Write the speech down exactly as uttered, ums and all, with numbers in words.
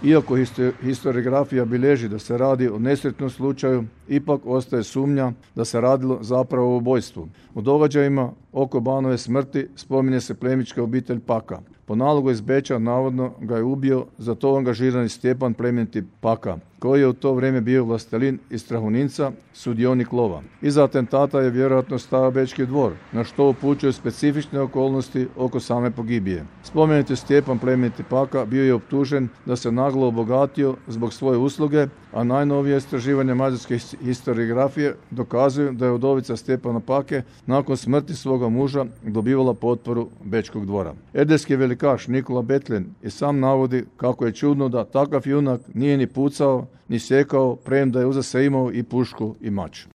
Iako historiografija bilježi da se radi o nesretnom slučaju, ipak ostaje sumnja da se radilo zapravo o ubojstvu. U događajima oko Banove smrti spominje se plemićka obitelj Paka. Po nalogu iz Beča navodno ga je ubio za to angažirani Stjepan plemeniti Paka, koji je u to vrijeme bio vlastelin iz Strahoninca, sudionik lova. Iza atentata je vjerojatno stao Bečki dvor, na što upućuju specifične okolnosti oko same pogibije. Spomenuti Stjepan plemeniti Paka bio je optužen da se naglo obogatio zbog svoje usluge, a najnovije istraživanje mađarske historiografije dokazuju da je udovica Stjepana Pake nakon smrti svoga muža dobivala potporu Bečkog dvora. Erdejski velikaš Nikola Betljen i sam navodi kako je čudno da takav junak nije ni pucao, ni sjekao, premda je uza se imao i pušku i mač.